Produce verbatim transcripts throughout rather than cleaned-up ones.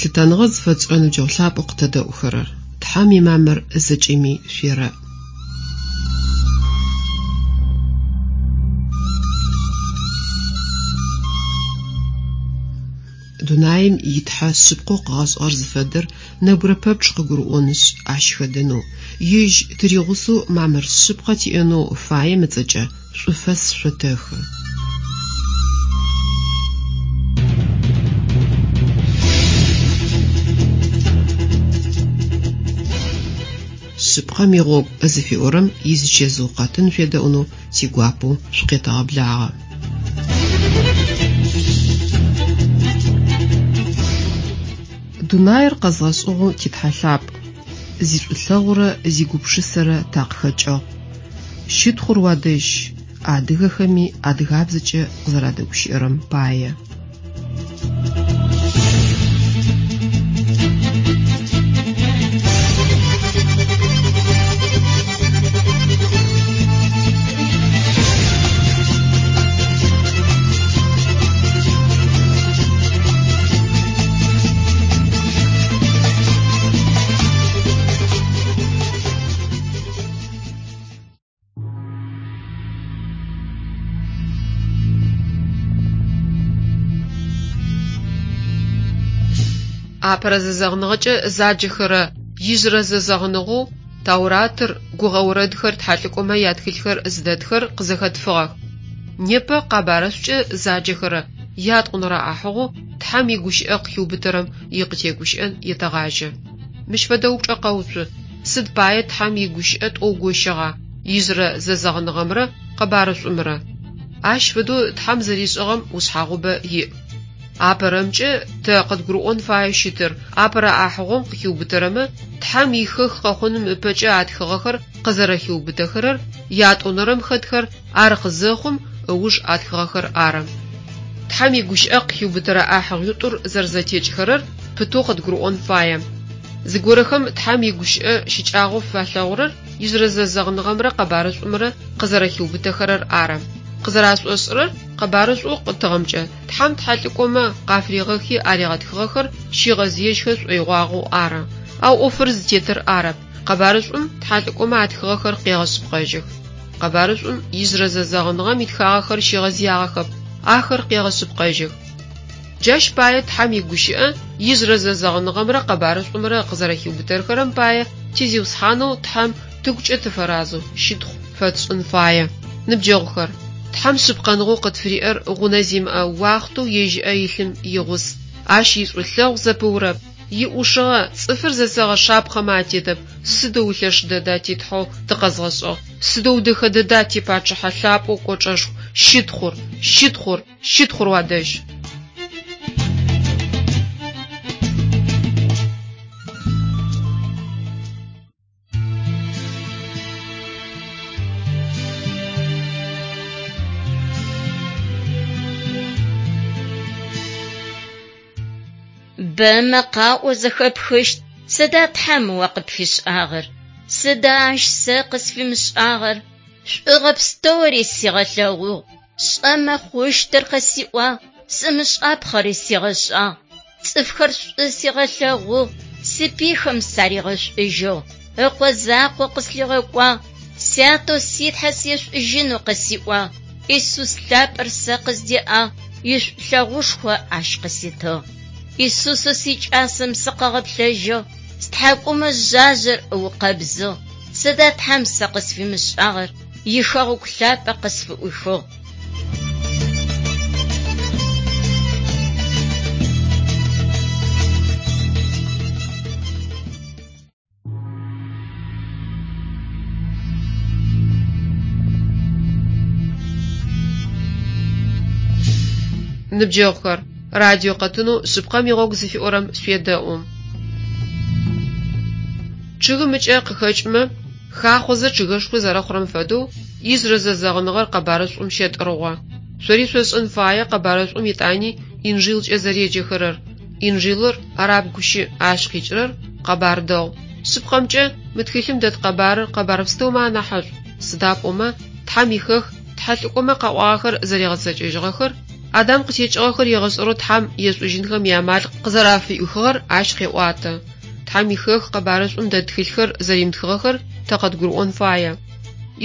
Лъытэныгъэ зыфэтшӏырэ ныбджэгъу лъапӏэу къытэдэӏухэрэр! Тхьэм имамыр зэкӏэми шъуерэӏ! Дунаим и Тхьэ шъыпкъэу къыгъэшӏыгъэр зыфэдэр нэбгырэ пэпчъ къыгурыӏонышъ, ащ хэдэнэу, ежь тыригъусэу мамыр шъыпкъэ тиӏэнэу фаем ыцӏэкӏэ шӏуфэс шъотэхы. Шъыпкъэм игъогу зыфиӏорэм изычэзыу къэтын шъуедэӏунэу тигуапэу шъукъетэгъэблагъэ. Дунаир къэзгъэшӏыгъэу ти Тхьэ лъапӏ, зишӏулъэгъурэ зигупшысэрэ такъыхэкӏыгъ. Щытхъур уадэжь, адыгэхэми адыгабзэкӏэ къызэрадэгущыӏэрэм пае. Апэрэ зэзэгъыныгъэкӏэ заджэхэрэ ижъырэ зэзэгъыныгъэу Тауратыр, гугъэ орэдхэр, тхьэлӏыкӏомэ ятхылъхэр зыдэтхэр къызэхэтфыгъэх. Непэ къэбарышӏукӏэ заджэхэрэ ятӏонэрэ ӏахьыгъоу Тхьэм игущыӏэ къыхиубытэрэм икъытегущыӏэн етэгъажьэ. Мыщ фэдэ упчӏэ къэуцу: сыд пае Тхьэм игущыӏэ тӏоу гощыгъа ижъырэ зэзэгъыныгъэмрэ къэбарышӏумрэ? Ащ фэдэу Тхьэм зэришӏыгъэм ушъхьагъубэ иӏ. Апэрэмкӏэ тэ къыдгурыӏон фаеу щытыр апэрэ ӏахьыгъом къыхиубытэрэмэ Тхьэм ихэх къэхъуным ыпэкӏэ атхыгъэхэр къызэрэхиубытэхэрэр, ятӏонэрэм хэтхэр ар къызэхъум ыуж атхыгъэхэр ары. Тхьэм игущыӏэ къыхиубытэрэ ӏахьыгъуитӏур зэрэзэтекӏхэрэр пытэу къыдгурыӏон фае. Зыгорэхэм Тхьэм игущыӏэ щыкӏагъэу фалъэгъурэр ижъырэ зэзэгъыныгъэмрэ къэбарышӏумрэ къызэрэхиубытэхэрэр ары. Къызэрашӏошӏырэр къэбарышӏоу къытыгъэмкӏэ Тхьэм тхьэлӏыкӏомэ къафыригъэхи аригъэтхыгъэхэр щигъэзыежьхэ шӏоигъуагъэу ары. Ау ӏофыр зытетыр арэп. Къэбарышӏум тхьэлӏыкӏомэ атхыгъэхэр къегъэшъыпкъэжьых. Къэбарышӏум ижъырэ зэзэгъыныгъэм итхагъэхэр щигъэзыягъэхэп, ахэр къегъэшъыпкъэжьых. Джащ пае Тхьэм игущыӏэ ижъырэ зэзэгъыныгъэмрэ къэбарышӏумрэ къызэрэхиубытэхэрэм пае тизиусхьанэу Тхьэм тыгукӏэ тыфэразэу щытхъу фэтшӏын фае. Ныбджэгъухэр, Тхьэм шъыпкъэныгъэу къытфыриӏэр гъунэ зимыӏэ уахътэу ежь ыӏэ илъым игъус. Ащ ишӏулъэгъу зэпыурэп. Иӏушыгъэ цӏыфыр зэсэгъэ шапхъэмэ атетэп. Сыдэу лъэш дэда ти Тхьэу тыкъэзгъэшӏыгъ. Сыдэу дэхэ дэда типачъыхьэ лъапӏэу кӏочӏэшху. Щытхъур, щытхъур, щытхъур уадэжь! Бэмэ къаӏо зэхэпхыщт: Сыда Тхьэм о къыпфишӏагъэр? Сыда ащ сэ къысфимышӏагъэр? Шӏугъэ пстэури сигъэлъэгъугъ, сшӏэмэ хъущтыр къысиӏуагъ, сымышӏапхъэри сигъэшӏагъ. Цӏыфхэр шӏу сигъэлъэгъугъ, сипыйхэм саригъэшӏужьыгъ, ыкъо закъо къыслъигъэкӏуагъ, сятэу си Тхьэ сешӏужьынэу къысиӏуагъ. Исус лъапӏэр сэ къыздеӏагъ, ишӏулъэгъушхо ащ къыситыгъ. Исусэу сикӏасэм сыкъыгъэплъэжьыгъ, стхьакӏумэ жъажъэр ыукъэбзыгъ. Сыда Тхьэм сэ къысфимышӏагъэр? Ихэгъэгу лъапӏэ къысфыӏуихыгъ. Ныбджэгъухэр, радио къэтынэу шъыпкъэм игъогу зыфиӏорэм шъуедэӏу. Чъыгым ыкӏэ къыхэкӏымэ, хахъозэ чъыгышхо зэрэхъурэм фэдэу, ижъырэ зэзэгъыныгъэр къэбарышӏум щэтӏыргъо. Шъори шъошӏэн фае къэбарышӏум етӏани Инжилкӏэ зэреджэхэрэр. Инжилыр араб гущыӏ, ащ къикӏырэр къэбар дэгъу. Шъыпкъэмкӏэ, мы тхылъым дэт къэбарыр къэбар пстэумэ анахьышӏу. Сыда пӏомэ, Тхьэм ихэх тхьэлӏыкӏомэ къаӏуагъэхэр зэригъэцэкӏэжьыгъэхэр, Адам къытекӏыгъэхэр егъэшӏэрэу Тхьэм ешӏужьынхэм иамал къызэрафыӏуихыгъэр ащ къеӏуатэ. Тхьэм ихэх Къэбарышӏум дэт тхылъхэр зэримытхыгъэхэр тэ къыдгурыӏон фае.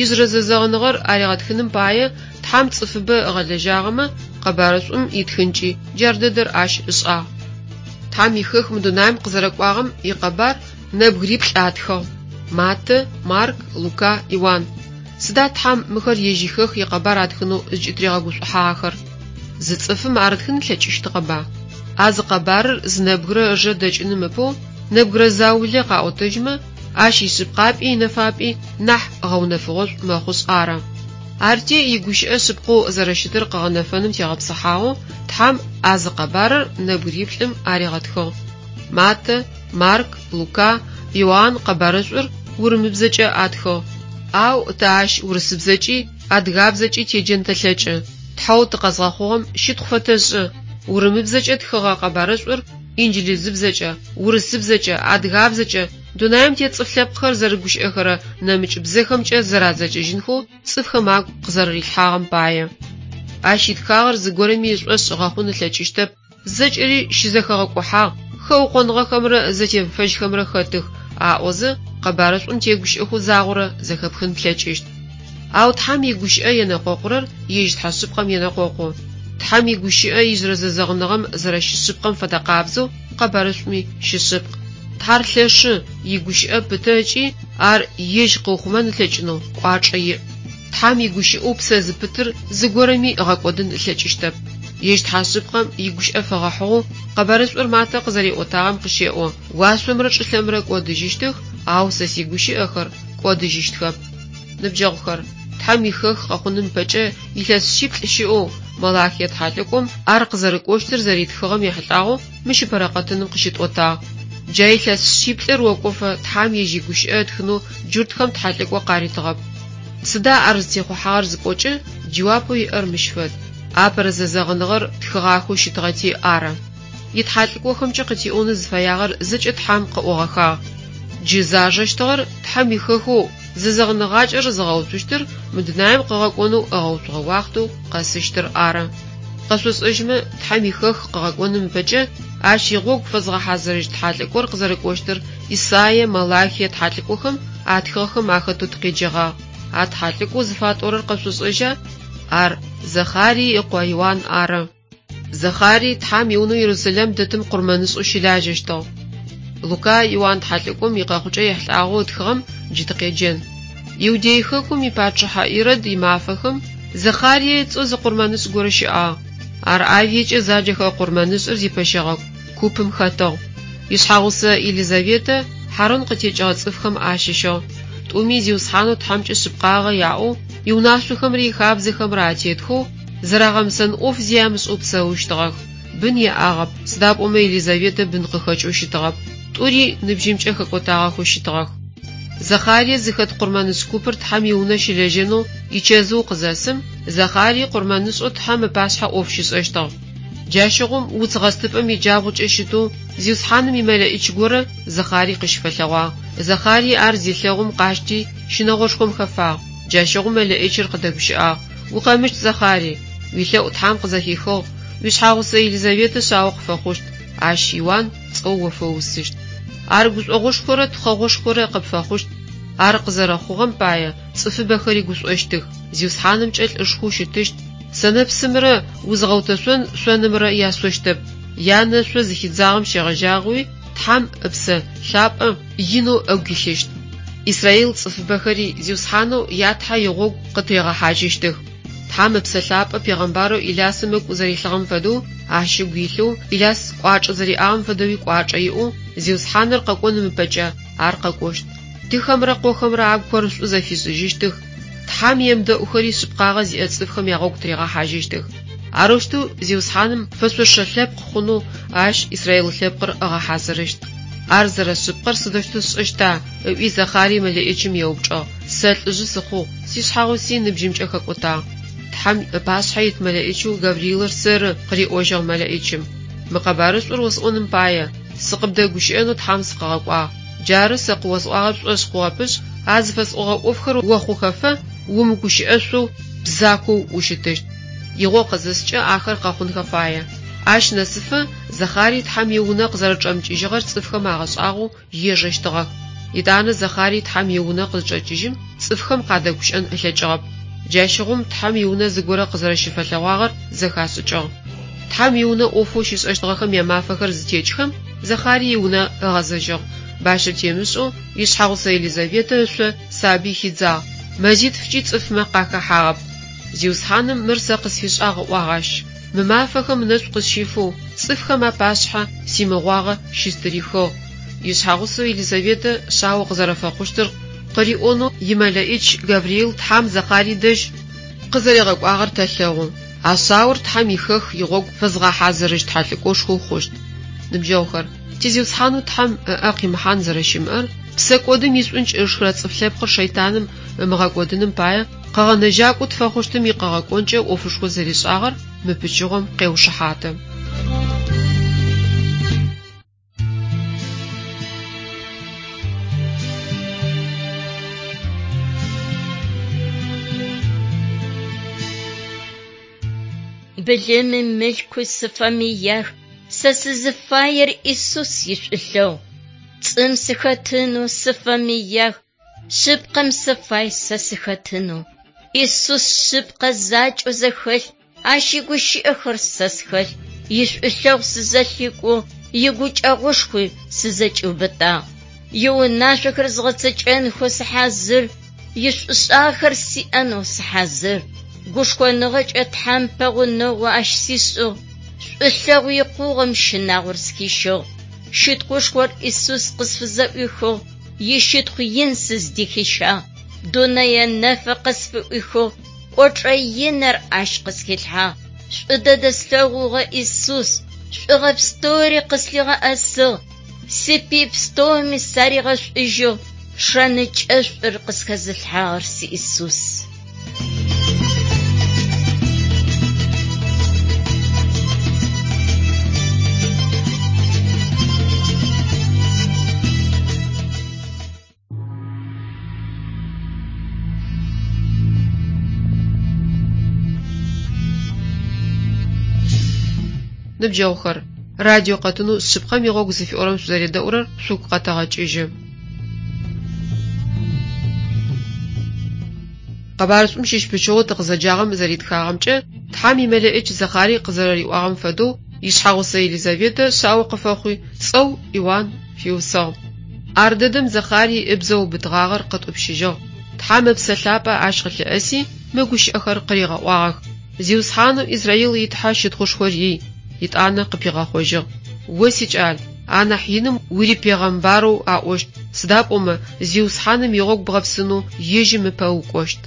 Ижъырэ зэзэгъыныгъэр аригъэтхыным пае Тхьэм цӏыфыбэ ыгъэлэжьагъэмэ, Къэбарышӏум итхынкӏи джар дэдэр ащ ышӏагъ. Тхьэм ихэх мы дунаим къызэрэкӏуагъэм икъэбар нэбгыриплӏ атхыгъ: Маттэ, Марк, Лука, Иуан. Сыда Тхьэм мыхэр ежь ихэх икъэбар атхынэу зыкӏытыригъэгушӏухьагъэхэр? Зы цӏыфым ар ытхын ылъэкӏыщтыгъэба? А зы къэбарыр зы нэбгырэ ыжэ дэкӏыным ыпэу нэбгырэ заулэ къаӏотэжьмэ, ащ ишъыпкъапӏи инэфапӏи нахь гъэунэфыгъошӏу мэхъушъ ары. Арти игущыӏэ шъыпкъэу зэрэщытыр къыгъэнэфэным тегъэпсыхьагъэу Тхьэм а зы къэбарыр нэбгыриплӏым аригъэтхыгъ: Маттэ, Марк, Лука, Иоанн Къэбарышӏур урымыбзэкӏэ атхыгъ. Ау тэ ащ урысыбзэкӏи адыгабзэкӏи теджэн тэлъэкӏы. Тхьэу тыкъэзгъэхъугъэм щытхъу фэтэшӏы. Урымыбзэкӏэ тхыгъэ Къэбарышӏур инджылызыбзэкӏэ, урысыбзэкӏэ, адыгабзэкӏэ, дунаим тет цӏыф лъэпкъхэр зэрыгущыӏэхэрэ нэмыкӏ бзэхэмкӏэ зэрадзэкӏыжьынхэу цӏыфхэм агу къызэрэрилъхьагъэм пае. Ащ итхагъэр зыгорэми ышӏошъ ыгъэхъун ылъэкӏыщтэп, зэкӏэри щызэхэгъэкӏухьагъ, хэукъоныгъэхэмрэ зэтемыфэжьхэмрэ хэтых, аӏозэ Къэбарышӏум тегущыӏэхэу загъорэ зэхэпхын плъэкӏыщт. Ау Тхьэм игущыӏэ енэкъокъурэр ежь Тхьэ шъыпкъэм енэкъокъу. Тхьэм игущыӏэ ижъырэ зэзэгъыныгъэм зэрэщышъыпкъэм фэдэ къабзэу Къэбарышӏуми щышъыпкъ. Тхьэр лъэшы, игущыӏэ пытэ ыкӏи ар ежь къыухъумэн ылъэкӏынэу кӏуачӏэ иӏ. Тхьэм игущыӏэу псэ зыпытыр зыгорэми ыгъэкӏодын ылъэкӏыщтэп. Ежь Тхьэ шъыпкъэм игущыӏэ фэгъэхьыгъэу Къэбарышӏур Маттэ къызэриӏотагъэм къыщеӏо: Уашъомрэ чӏылъэмрэ кӏодыжьыщтых, ау сэ сигущыӏэхэр кӏодыжьыщтхэп. Ныбджэгъухэр, Тхьэм ихэх къэхъуным ыпэкӏэ илъэс шъиплӏ щыӏэу Малахие тхьэлӏыкӏом ар къызэрэкӏощтыр зэритхыгъэм ехьылӏагъэу мыщ ыпэрэ къэтыным къыщытӏотагъ. Джа илъэс шъиплӏыр окӏофэ Тхьэм ежь игущыӏэ ытхынэу джуртхэм тхьэлӏыкӏо къаритыгъэп. Сыда ар зытехъухьагъэр зыпӏокӏэ, джэуапэу иӏэр мыщ фэд: апэрэ зэзэгъыныгъэр тхыгъахэу щытыгъэти ары. Итхьэлӏыкӏохэмкӏэ къытиӏонэу зыфэягъэр зэкӏэ Тхьэм къыӏогъэхагъ. Джы зажэщтыгъэр Тхьэм ихэхэу зэзэгъыныгъакӏэр зыгъэуцущтыр мы дунаим къыгъэкӏонэу ыгъэуцугъэ уахътэу къэсыщтыр ары. Къэшъошӏэжьмэ, Тхьэм ихэх къыгъэкӏоным ыпэкӏэ ащ игъогу фэзгъэхьазырыщт тхьэлӏыкӏор къызэрэкӏощтыр Исаие, Малахие тхьэлӏыкӏохэм атхыгъэхэм ахэтэу тыкъеджэгъагъ. А тхьэлӏыкӏоу зыфатӏорэр къэшъошӏэжьа? Ар Захарие ыкъо Иуан ары. Захарие Тхьэм иунэу Ерусалим дэтым къурмэнышӏэу щылажьэщтыгъ. Лука Иуан тхьэлӏыкӏом икъэхъукӏэ ехьылӏагъэу ытхыгъэм джы тыкъеджэн. Иудей хэкум ипачъыхьэ Ирод имафэхэм Захарие ыцӏэу зы къурмэнышӏ горэ щыӏагъ. Ар Авиекӏэ заджэхэ къурмэнышӏыр зипэщэгъэ купым хэтыгъ. Ишъхьэгъусэ Елизаветэ Хьарун къытекӏыгъэ цӏыфхэм ащыщыгъ. Тӏуми Зиусхьанэу Тхьэмкӏэ шъыпкъагъэ яӏэу, иунашъохэмрэ ихабзэхэмрэ атетхэу, зэрагъэмысэн ӏоф зи амышӏэу псэущтыгъэх. Бын яӏагъэп, сыда пӏомэ Елизаветэ бын къыхэкӏэу щытыгъэп. Тӏури ныбжьымкӏэ хэкӏотагъэхэу щытыгъэх. Захарие зыхэт къурмэнышӏ купыр Тхьэм иунэ щылэжьэнэу ичэзыу къызэсым, Захарие къурмэнышӏэу Тхьэм ыпашъхьэ ӏоф щишӏэщтыгъ. Джащыгъум уц гъэстыпӏэм иджабгъукӏэ щытэу Зиусхьаным имэлэӏич горэ Захарие къыщыфэлъэгъуагъ. Захарие ар зелъэгъум къащти, щынэгъошхом хэфагъ. Джащыгъум мэлэӏичыр къыдэгущыӏагъ: Укъэмыщт, Захарий, уилъэӏу Тхьэм къызэхихыгъ, уишъхьэгъусэ Елизаветэ шъао къыфэхъущт, ащ Иуан цӏэу о фэусыщт. Ар гушӏогъошхорэ тхъэгъошхорэ къыпфэхъущт. Ар къызэрэхъугъэм пае цӏыфыбэхэри гушӏощтых. Зиусхьанымкӏэ лӏышхоу щытыщт. Сэнэпсымрэ узгъэутэшъон шъонымрэ яшъощтэп. Янэ шъо зыхидзагъэм щегъэжьагъэуи Тхьэм Ыпсэ Лъапӏэ инэу ыгу илъыщт. Израил цӏыфыбэхэри Зиусхьанэу я Тхьэ игъогу къытыригъэхьажьыщтых. Тхьэм Ыпсэ Лъапӏэ пегъэмбарэу Илясым ыгу зэрилъыгъэм фэдэу ащ ыгу илъэу, Иляс кӏуачӏэ зэриӏагъэм фэдэуи кӏуачӏэ иӏэу, Зиусхьаныр къэкӏоным ыпэкӏэ ар къэкӏощт. Тыхэмрэ къохэмрэ агухэр шӏу зэфишӏыжьыщтых. Тхьэм емыдэӏухэри шъыпкъагъэ зиӏэ цӏыфхэм ягъогу тыригъэхьажьыщтых. Арэущтэу Зиусхьаным фэшъошэ лъэпкъ хъунэу ащ Израил лъэпкъыр ыгъэхьазырыщт. Ар зэрэшъыпкъэр сыдэущтэу сшӏэщта? ыӏуи Захарие мэлэӏичым еупчӏыгъ. Сэ лӏыжъы сыхъугъ, сишъхьэгъуси ныбжьымкӏэ хэкӏотагъ. Тхьэм ыпашъхьэ ит мэлэӏичэу Гавриилыр сэры, къыриӏожьыгъ мэлэӏичым. Мы къэбарышӏур осӏоным пае сыкъыбдэгущыӏэнэу Тхьэм сыкъыгъэкӏуагъ. Джары сэ къыосӏуагъэр пшӏошъ хъугъэпышъ, а зыфэсӏогъэ ӏофхэр охъухэфэ умыгущыӏэшъоу бзакоу ущытыщт. Игъо къызыскӏэ ахэр къэхъунхэ фае. Ащ нэсыфэ Захарие Тхьэм иунэ къызэрэчӏэмыкӏыжьыгъэр цӏыфхэм агъэшӏагъоу ежэщтыгъэх. Етӏанэ Захарие Тхьэм иунэ къызчӏэкӏыжьым, цӏыфхэм къадэгущыӏэн ылъэкӏыгъэп. Джащыгъум Тхьэм иунэ зыгорэ къызэрэщыфэлъэгъуагъэр зэхашӏыкӏыгъ. Тхьэм иунэ ӏофэу щишӏэщтыгъэхэм ямафэхэр зытекӏхэм, Захарие иунэ ыгъэзэжьыгъ. Бащэ темышӏэу ишъхьэгъусэ Елизаветэ ышъо сабый хидзагъ, мэзитфыкӏи цӏыфмэ къахэхьагъэп. Зиусхьаным мыр сэ къысфишӏагъ ыӏуагъ ащ. Мы мафэхэм ынэшӏу къысщифэу, цӏыфхэм апашъхьэ симыгъуагъэ щыстырихыгъ. Ишъхьэгъусэу Елизаветэ шъао къызэрэфэхъущтыр къыриӏонэу имэлэӏич Гавриил Тхьэм Захарие дэжь къызэригъэкӏуагъэр тэлъэгъу. А шъаор Тхьэм ихэх игъогу фэзгъэхьазырыщт тхьэлӏыкӏошхоу хъущт. Ныбджэгъухэр, ти Зиусхьанэу Тхьэм ыӏэ къимыхьан зэрэщымыӏэр, псэкӏодым ишӏункӏ ышхырэ цӏыф лъэпкъыр шэйтаным ымыгъэкӏодыным пае къэгъэнэжьакӏоу тфэхъущтым икъэгъэкӏонкӏэ ӏофышхо зэришӏагъэр мы пычыгъом къеушыхьаты. Былымым мылъку сыфэмыях, сэ сызыфаер Исус ишӏулъэгъу. Цӏым сыхэтынэу сыфэмыях, шъыпкъэм сыфай сэ сыхэтынэу. Исус шъыпкъэ закӏэу зэхэлъ, ащ игущыӏэхэр сэ схэлъ. Ишӏулъэгъу сызэлъикӏугъ, игукӏэгъушхуи сызэкӏиубытагъ. Иунашъохэр згъэцэкӏэнхэу сыхьазыр, ишӏушӏагъэхэр сиӏэнэу сыхьазыр. Гушхоныгъэкӏэ Тхьэм пэгъунэгъу ащ сишӏыгъ, шӏулъэгъу икъугъэм щынагъор схищыгъ. Щытхъушхор Исус къысфызэӏуихыгъ, ищытхъу ин сыздыхищагъ. Дунэе нэфэ къысфыӏуихыгъ, кӏочӏэ иныр ащ къысхилъхьагъ. Шӏу дэдэ слъэгъугъэ Исус, шӏугъэ пстэури къыслъигъэӏэсыгъ. Сипый пстэуми саригъэшӏужьыгъ, шэнычъэшӏур къысхэзылъхьагъэр си Исус. Ныбджэгъухэр, радио къэтынэу шъыпкъэм игъогу зыфиӏорэм шъузэредэӏурэр шъугу къэтэгъэкӏыжьы. Къэбарышӏум щыщ пычыгъоу тыкъызэджагъэм зэритхагъэмкӏэ, Тхьэм имэлэӏич Захарие къызэрэриӏуагъэм фэдэу ишъхьэгъусэ Елизаветэ шъао къыфэхъуи, цӏэу Иуан фиусыгъ. Ар дэдэм Захарие ыбзэ ыубытыгъагъэр къытӏупщыжьыгъ. Тхьэм ыпсэ лъапӏэ ащ къылъыӏэси, мы гущыӏэхэр къыригъэӏуагъэх. Зиусхьанэу Израил и Тхьэ щытхъушхор ий, етӏанэ къыпигъэхъожьыгъ. О сикӏал, анахь иным урипегъэмбарэу аӏощт, сыда пӏомэ Зиусхьаным игъогу бгъэпсынэу ежьым ыпэ укӏощт.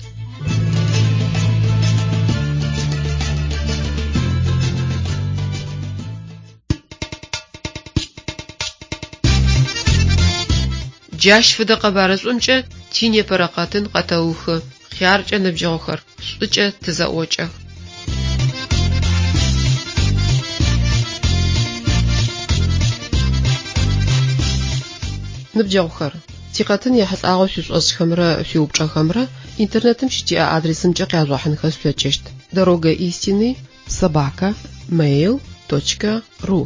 Джащ фэдэ къэбарышӏумкӏэ тинепэрэ къэтын къэтэухы. Хъяркӏэ ныбджэгъухэр, шӏукӏэ тызэӏокӏэх. Ныбджэгъухэр, тикъэтын ехьылӏагъэу шъуишӏошӏхэмрэ шъуиупчӏэхэмрэ интернетым щытиӏэ адресымкӏэ къяжъугъэхьынхэ шъулъэкӏыщт: дорога истины собака mail точка ру.